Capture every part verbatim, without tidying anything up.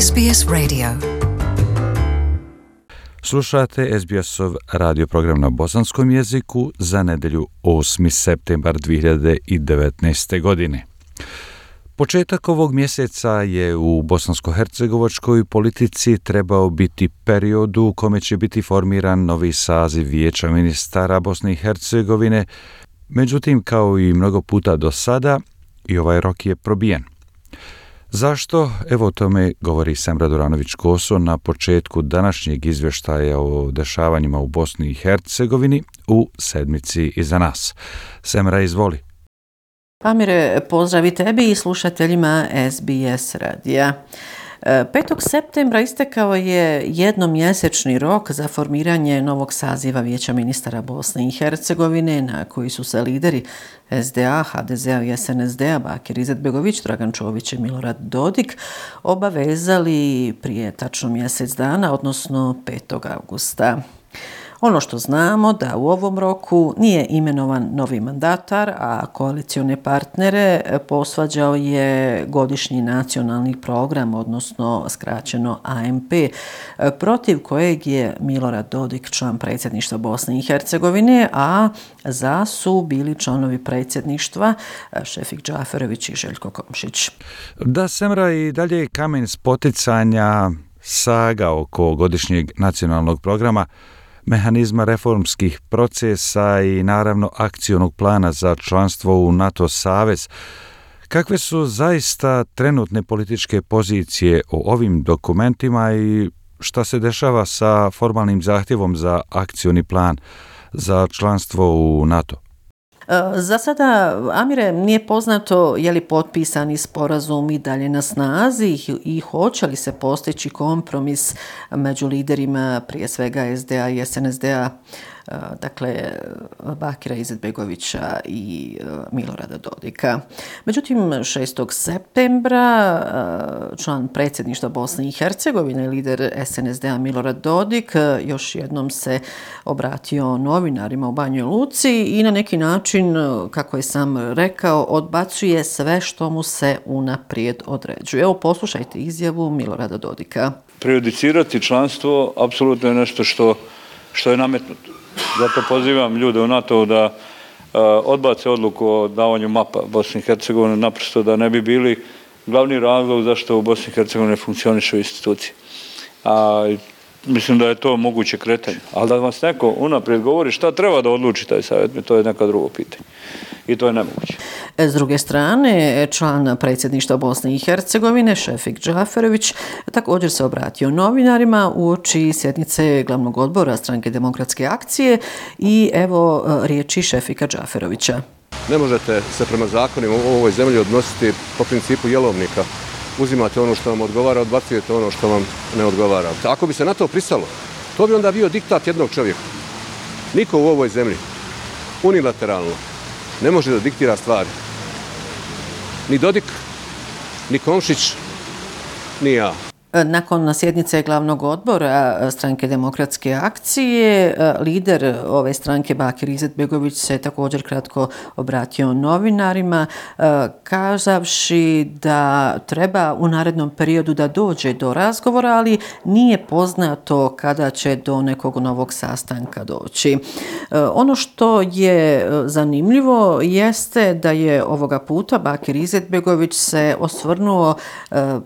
S B S Radio. Slušate S B S-ov radio program na bosanskom jeziku za nedelju osmi septembar dvije hiljade devetnaeste. godine. Početak ovog mjeseca je u bosansko-hercegovačkoj politici trebao biti period u kome će biti formiran novi saziv Vijeća ministara Bosne i Hercegovine, međutim, kao i mnogo puta do sada, i ovaj rok je probijen. Zašto? Evo o tome govori Semra Duranović-Koso na početku današnjeg izvještaja o dešavanjima u Bosni i Hercegovini u sedmici iza nas. Semra, izvoli. Amire, pozdrav i tebi i slušateljima S B S radija. petog septembra istekao je jednomjesečni rok za formiranje novog saziva Vijeća ministara Bosne i Hercegovine, na koji su se lideri S D A, H D Z-a i S N S D-a Bakir Izetbegović, Dragan Čović i Milorad Dodik obavezali prije tačno mjesec dana, odnosno petog augusta. Ono što znamo da u ovom roku nije imenovan novi mandatar, a koalicione partnere posvađao je godišnji nacionalni program, odnosno skraćeno A M P, protiv kojeg je Milorad Dodik član predsjedništva Bosne i Hercegovine, a za su bili članovi predsjedništva Šefik Džaferović i Željko Komšić. Da, Semra, i dalje kamen spoticanja saga oko godišnjeg nacionalnog programa, mehanizma reformskih procesa i naravno akcionog plana za članstvo u NATO savez. Kakve su zaista trenutne političke pozicije o ovim dokumentima i šta se dešava sa formalnim zahtjevom za akcioni plan za članstvo u NATO? Za sada, Amire, nije poznato je li potpisani sporazum i dalje na snazi i hoće li se postići kompromis među liderima, prije svega S D A i S N S D-a, dakle Bakira Izetbegovića i Milorada Dodika. Međutim, šestog septembra član predsjedništva Bosne i Hercegovine, lider S N S D-a Milorad Dodik, još jednom se obratio novinarima u Banjoj Luci i na neki način, kako je sam rekao, odbacuje sve što mu se unaprijed određuje. Evo, poslušajte izjavu Milorada Dodika. Prejudicirati članstvo apsolutno je nešto što, što je nametnuto. Zato pozivam ljude u NATO da uh, odbace odluku o davanju mapa Bosni i Hercegovine, naprosto da ne bi bili glavni razlog zašto u Bosni i Hercegovini ne funkcionišu institucije. A, mislim da je to moguće kretanje. Ali da vas neko unaprijed govori šta treba da odluči taj savjet, to je neka drugo pitanje. I to je nemoguće. S druge strane, član predsjedništva Bosne i Hercegovine, Šefik Džaferović, također se obratio novinarima uoči sjednice glavnog odbora Stranke demokratske akcije i evo riječi Šefika Džaferovića. Ne možete se prema zakonima u ovoj zemlji odnositi po principu jelovnika. Uzimate ono što vam odgovara, odbacujete ono što vam ne odgovara. Ako bi se na to pristalo, to bi onda bio diktat jednog čovjeka. Niko u ovoj zemlji unilateralno ne može da diktira stvari. Ni Dodik, ni Komšić, ni ja. Nakon sjednice glavnog odbora Stranke demokratske akcije, lider ove stranke Bakir Izetbegović se također kratko obratio novinarima, kazavši da treba u narednom periodu da dođe do razgovora, ali nije poznato kada će do nekog novog sastanka doći. Ono što je zanimljivo jeste da je ovoga puta Bakir Izetbegović se osvrnuo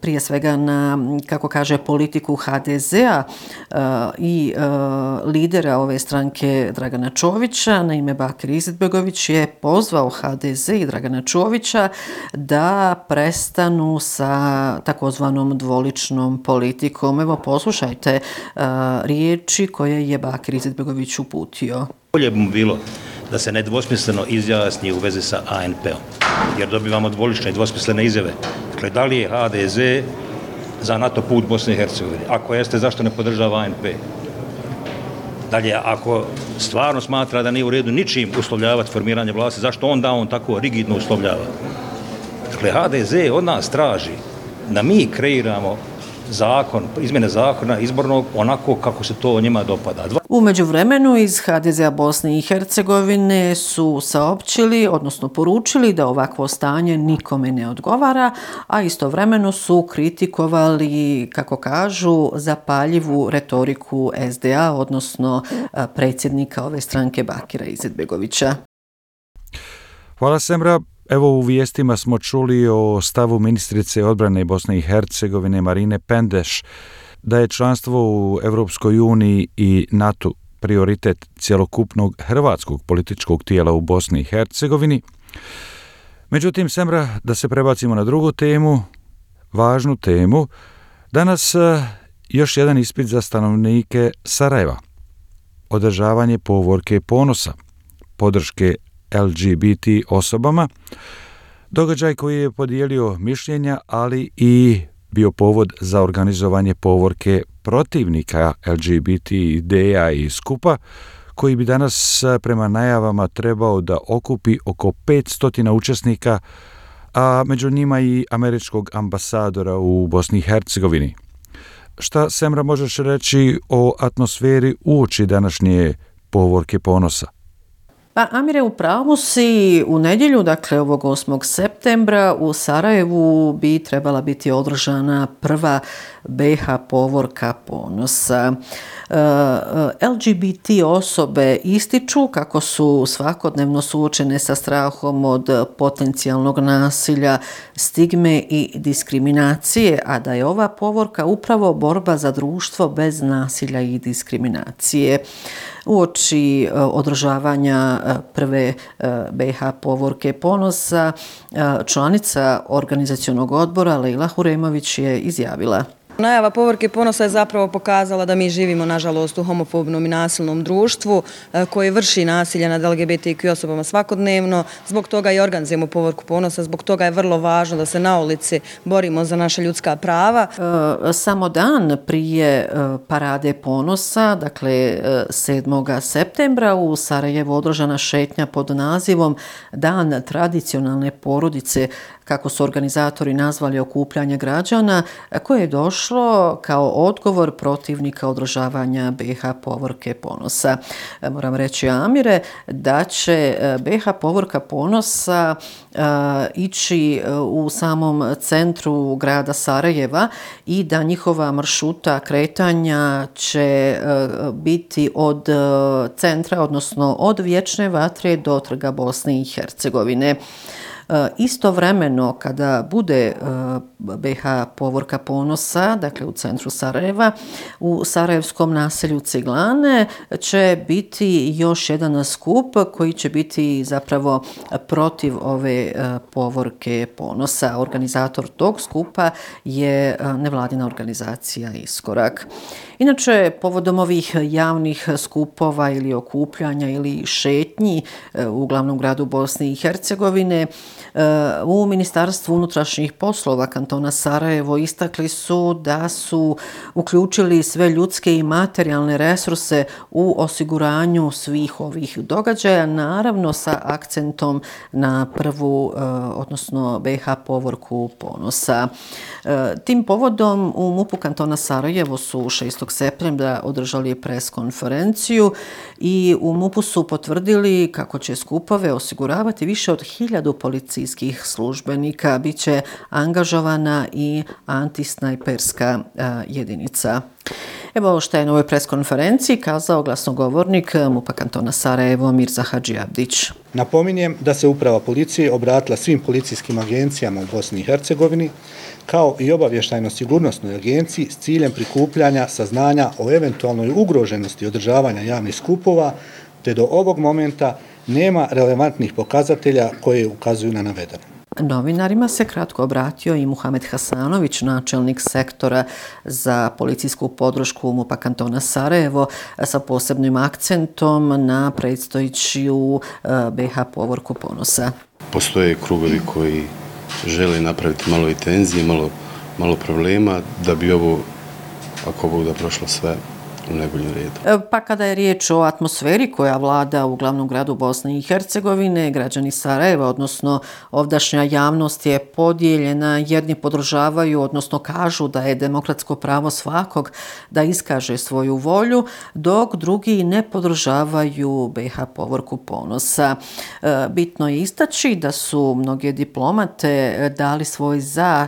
prije svega na, kako kaže, politiku H D Z-a uh, i uh, lidera ove stranke Dragana Čovića. Naime, Bakir Izetbegović je pozvao H D Z i Dragana Čovića da prestanu sa takozvanom dvoličnom politikom. Evo, poslušajte uh, riječi koje je Bakir Izetbegović uputio. Bolje bi mu bilo da se nedvosmisleno izjasni u vezi sa A N P-om, jer dobivamo dvolične i dvosmislene izjave. Dakle, da li je H D Z za NATO put Bosne i Hercegovine? Ako jeste, zašto ne podržava A N P? Dalje, ako stvarno smatra da nije u redu ničim uslovljavati formiranje vlasti, zašto onda on tako rigidno uslovljava? Dakle, H D Z od nas traži da mi kreiramo zakon, izmjene zakona izbornog onako kako se to njima dopada. Dva... U međuvremenu iz ha de zea Bosne i Hercegovine su saopćili, odnosno poručili da ovakvo stanje nikome ne odgovara, a istovremeno su kritikovali, kako kažu, zapaljivu retoriku es de a, odnosno predsjednika ove stranke Bakira Izetbegovića. Hvala, Semra. Evo, u vijestima smo čuli o stavu ministrice odbrane Bosne i Hercegovine Marine Pendeš da je članstvo u Europskoj uniji i NATO prioritet cjelokupnog hrvatskog političkog tijela u Bosni i Hercegovini. Međutim, Semra, da se prebacimo na drugu temu, važnu temu, danas još jedan ispit za stanovnike Sarajeva. Održavanje povorke ponosa, podrške el ge be te osobama, događaj koji je podijelio mišljenja, ali i bio povod za organizovanje povorke protivnika el ge be te ideja i skupa, koji bi danas prema najavama trebao da okupi oko petsto učesnika, a među njima i američkog ambasadora u Bosni i Hercegovini. Šta, Semra, možeš reći o atmosferi uoči današnje povorke ponosa? Pa, Amire, u pravu si, u nedjelju, dakle ovog osmog septembra, u Sarajevu bi trebala biti održana prva be ha povorka ponosa. el ge be te osobe ističu kako su svakodnevno suočene sa strahom od potencijalnog nasilja, stigme i diskriminacije, a da je ova povorka upravo borba za društvo bez nasilja i diskriminacije. Uoči održavanja prve be ha povorke ponosa, članica organizacionog odbora Lejla Huremović je izjavila: Najava povorke ponosa je zapravo pokazala da mi živimo, nažalost, u homofobnom i nasilnom društvu koje vrši nasilje nad el ge be te i kju osobama svakodnevno. Zbog toga i organizujemo povorku ponosa, zbog toga je vrlo važno da se na ulici borimo za naša ljudska prava. E, samo dan prije parade ponosa, dakle sedmog septembra, u Sarajevu održana šetnja pod nazivom Dan tradicionalne porodice, kako su organizatori nazvali okupljanje građana, koje je došlo kao odgovor protivnika održavanja be ha povorke ponosa. Moram reći, Amire, da će be ha povorka ponosa uh, ići u samom centru grada Sarajeva i da njihova maršruta kretanja će uh, biti od uh, centra, odnosno od Vječne vatre do Trga Bosne i Hercegovine. Istovremeno, kada bude be ha povorka ponosa, dakle u centru Sarajeva, u sarajevskom naselju Ciglane će biti još jedan skup koji će biti zapravo protiv ove povorke ponosa. Organizator tog skupa je nevladina organizacija Iskorak. Inače, povodom ovih javnih skupova ili okupljanja ili šetnji u glavnom gradu Bosne i Hercegovine, u Ministarstvu unutrašnjih poslova kantona Sarajevo istakli su da su uključili sve ljudske i materijalne resurse u osiguranju svih ovih događaja, naravno sa akcentom na prvu, odnosno be ha povorku ponosa. Tim povodom u MUP-u kantona Sarajevo su šestog septembra održali pres konferenciju i u MUP-u su potvrdili kako će skupove osiguravati više od hiljadu policijskih službenika. Biće angažovana i antisnajperska a, jedinica. Evo što je na ovoj pres konferenciji kazao glasnogovornik MUP-a kantona Sarajevo Mirza Hadžiabdić. Napominjem da se uprava policije obratila svim policijskim agencijama u Bosni i Hercegovini, kao i obavještajno-sigurnosnoj agenciji s ciljem prikupljanja saznanja o eventualnoj ugroženosti održavanja javnih skupova, te do ovog momenta nema relevantnih pokazatelja koje ukazuju na navedeno. Novinarima se kratko obratio i Muhamed Hasanović, načelnik sektora za policijsku podršku MUP-a kantona Sarajevo, sa posebnim akcentom na predstojeću be ha povorku ponosa. Postoje krugovi koji žele napraviti malo i tenzije, malo, malo problema, da bi ovo, ako Bog da prošlo sve u najboljem redu. Pa kada je riječ o atmosferi koja vlada u glavnom gradu Bosne i Hercegovine, građani Sarajeva, odnosno ovdašnja javnost je podijeljena, jedni podržavaju, odnosno kažu da je demokratsko pravo svakog da iskaže svoju volju, dok drugi ne podržavaju be ha povorku ponosa. Bitno je istaći da su mnoge diplomate dali svoj za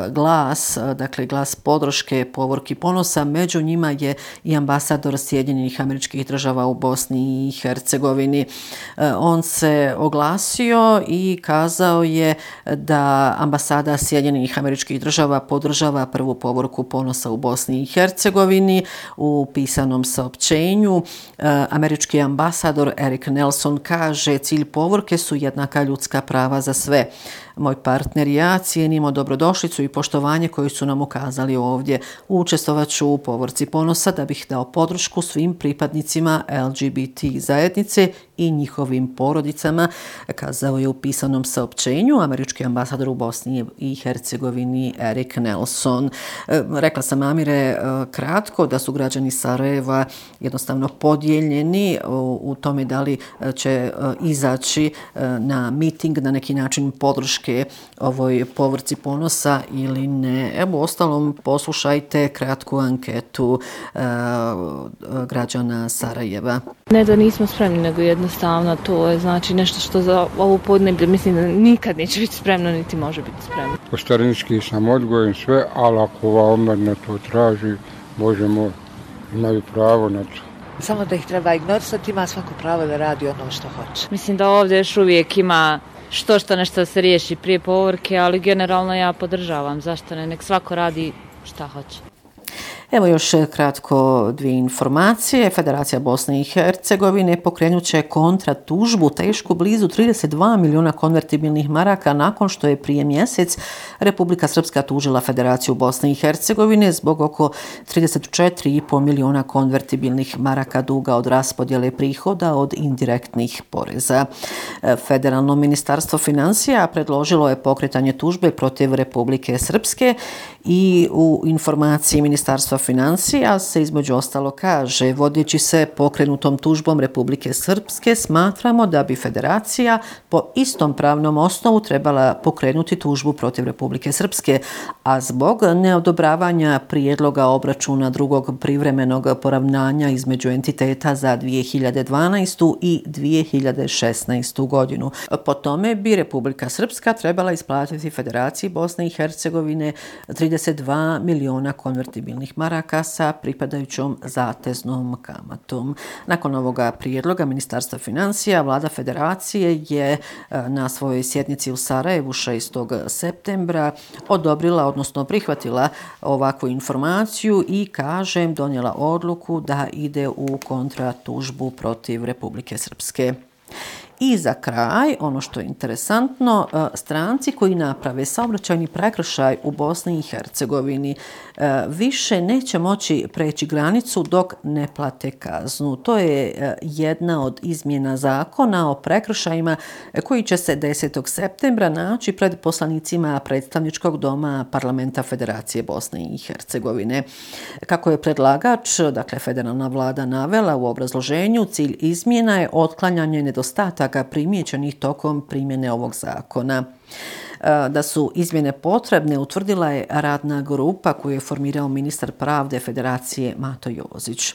glas, dakle glas podrške povorki ponosa, među njima je i ambasador Sjedinjenih Američkih Država u Bosni i Hercegovini. On se oglasio i kazao je da ambasada Sjedinjenih Američkih Država podržava prvu povorku ponosa u Bosni i Hercegovini. U pisanom saopćenju američki ambasador Erik Nelson kaže: cilj povorke su jednaka ljudska prava za sve. Moj partner i ja cijenimo dobrodošlicu i poštovanje koju su nam ukazali ovdje. Učestvovat ću u povorci ponosa da bih dao podršku svim pripadnicima el ge be te zajednice i njihovim porodicama, kazao je u pisanom saopćenju američki ambasador u Bosni i Hercegovini Erik Nelson. Rekla sam, Amire, kratko da su građani Sarajeva jednostavno podijeljeni u tome da li će izaći na miting, na neki način podrške ovoj povorci ponosa ili ne. Evo, ostalom, poslušajte kratku anketu uh, građana Sarajeva. Ne da nismo spremni, nego jednostavno to je znači nešto što za ovu podneblje mislim da nikad neće biti spremno, niti može biti spremno. Po starinički sam odgojen sve, ali ako ova omladina to traži, Bože moj, imaju pravo na to. Samo da ih treba ignorisati, ima svako pravo da radi ono što hoće. Mislim da ovdje još uvijek ima što što nešto se riješi prije povorke, ali generalno ja podržavam. Zašto ne? Nek svako radi šta hoće. Evo još kratko dvije informacije. Federacija Bosne i Hercegovine pokrenut će kontra tužbu tešku blizu trideset dva milijuna konvertibilnih maraka nakon što je prije mjesec Republika Srpska tužila Federaciju Bosne i Hercegovine zbog oko trideset četiri i pol milijuna konvertibilnih maraka duga od raspodjele prihoda od indirektnih poreza. Federalno ministarstvo financija predložilo je pokretanje tužbe protiv Republike Srpske i u informaciji Ministarstva financija se između ostalo kaže: vodeći se pokrenutom tužbom Republike Srpske, smatramo da bi Federacija po istom pravnom osnovu trebala pokrenuti tužbu protiv Republike Srpske, a zbog neodobravanja prijedloga obračuna drugog privremenog poravnanja između entiteta za dvije hiljade dvanaestu i dvije hiljade šesnaestu godinu. Po tome bi Republika Srpska trebala isplatiti Federaciji Bosne i Hercegovine trideset dva milijuna konvertibilnih maraka sa pripadajućom zateznom kamatom. Nakon ovoga prijedloga Ministarstva financija, Vlada Federacije je na svojoj sjednici u Sarajevu šestog septembra odobrila, odnosno prihvatila ovakvu informaciju i, kažem, donijela odluku da ide u kontratužbu protiv Republike Srpske. I za kraj, ono što je interesantno, stranci koji naprave saobraćajni prekršaj u Bosni i Hercegovini više neće moći preći granicu dok ne plate kaznu. To je jedna od izmjena zakona o prekršajima koji će se desetog septembra naći pred poslanicima predstavničkog doma Parlamenta Federacije Bosne i Hercegovine. Kako je predlagač, dakle federalna vlada, navela u obrazloženju, cilj izmjena je otklanjanje nedostataka primijećenih tokom primjene ovog zakona. Da su izmjene potrebne utvrdila je radna grupa koju je formirao ministar pravde Federacije Mato Jozić.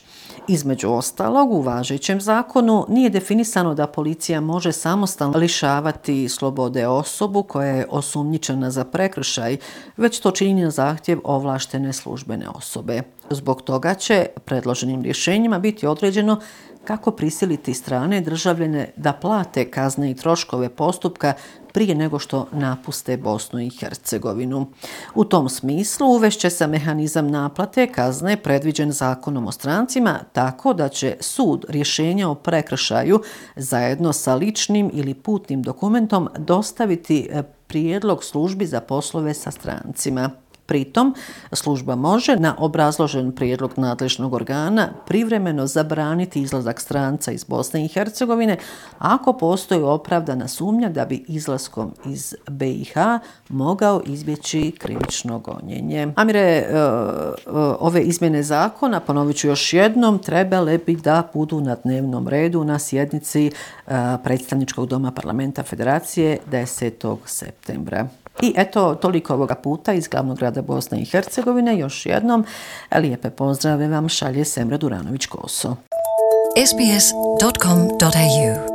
Između ostalog, u važećem zakonu nije definisano da policija može samostalno lišavati slobode osobu koja je osumnjičena za prekršaj, već to čini na zahtjev ovlaštene službene osobe. Zbog toga će predloženim rješenjima biti određeno kako prisiliti strane državljane da plate kazne i troškove postupka prije nego što napuste Bosnu i Hercegovinu. U tom smislu uvešće se mehanizam naplate kazne predviđen zakonom o strancima, tako da će sud rješenja o prekršaju zajedno sa ličnim ili putnim dokumentom dostaviti prijedlog službi za poslove sa strancima. Pritom, služba može na obrazložen prijedlog nadležnog organa privremeno zabraniti izlazak stranca iz Bosne i Hercegovine ako postoji opravdana sumnja da bi izlaskom iz B i H mogao izbjeći krivično gonjenje. Amire, ove izmjene zakona, ponovit ću još jednom, trebale bi da budu na dnevnom redu na sjednici predstavničkog doma Parlamenta Federacije desetog septembra. I eto, toliko ovoga puta iz glavnog grada Bosne i Hercegovine. Još jednom, lijepe pozdrave vam šalje Semra Duranović-Koso. S B S dot com dot A U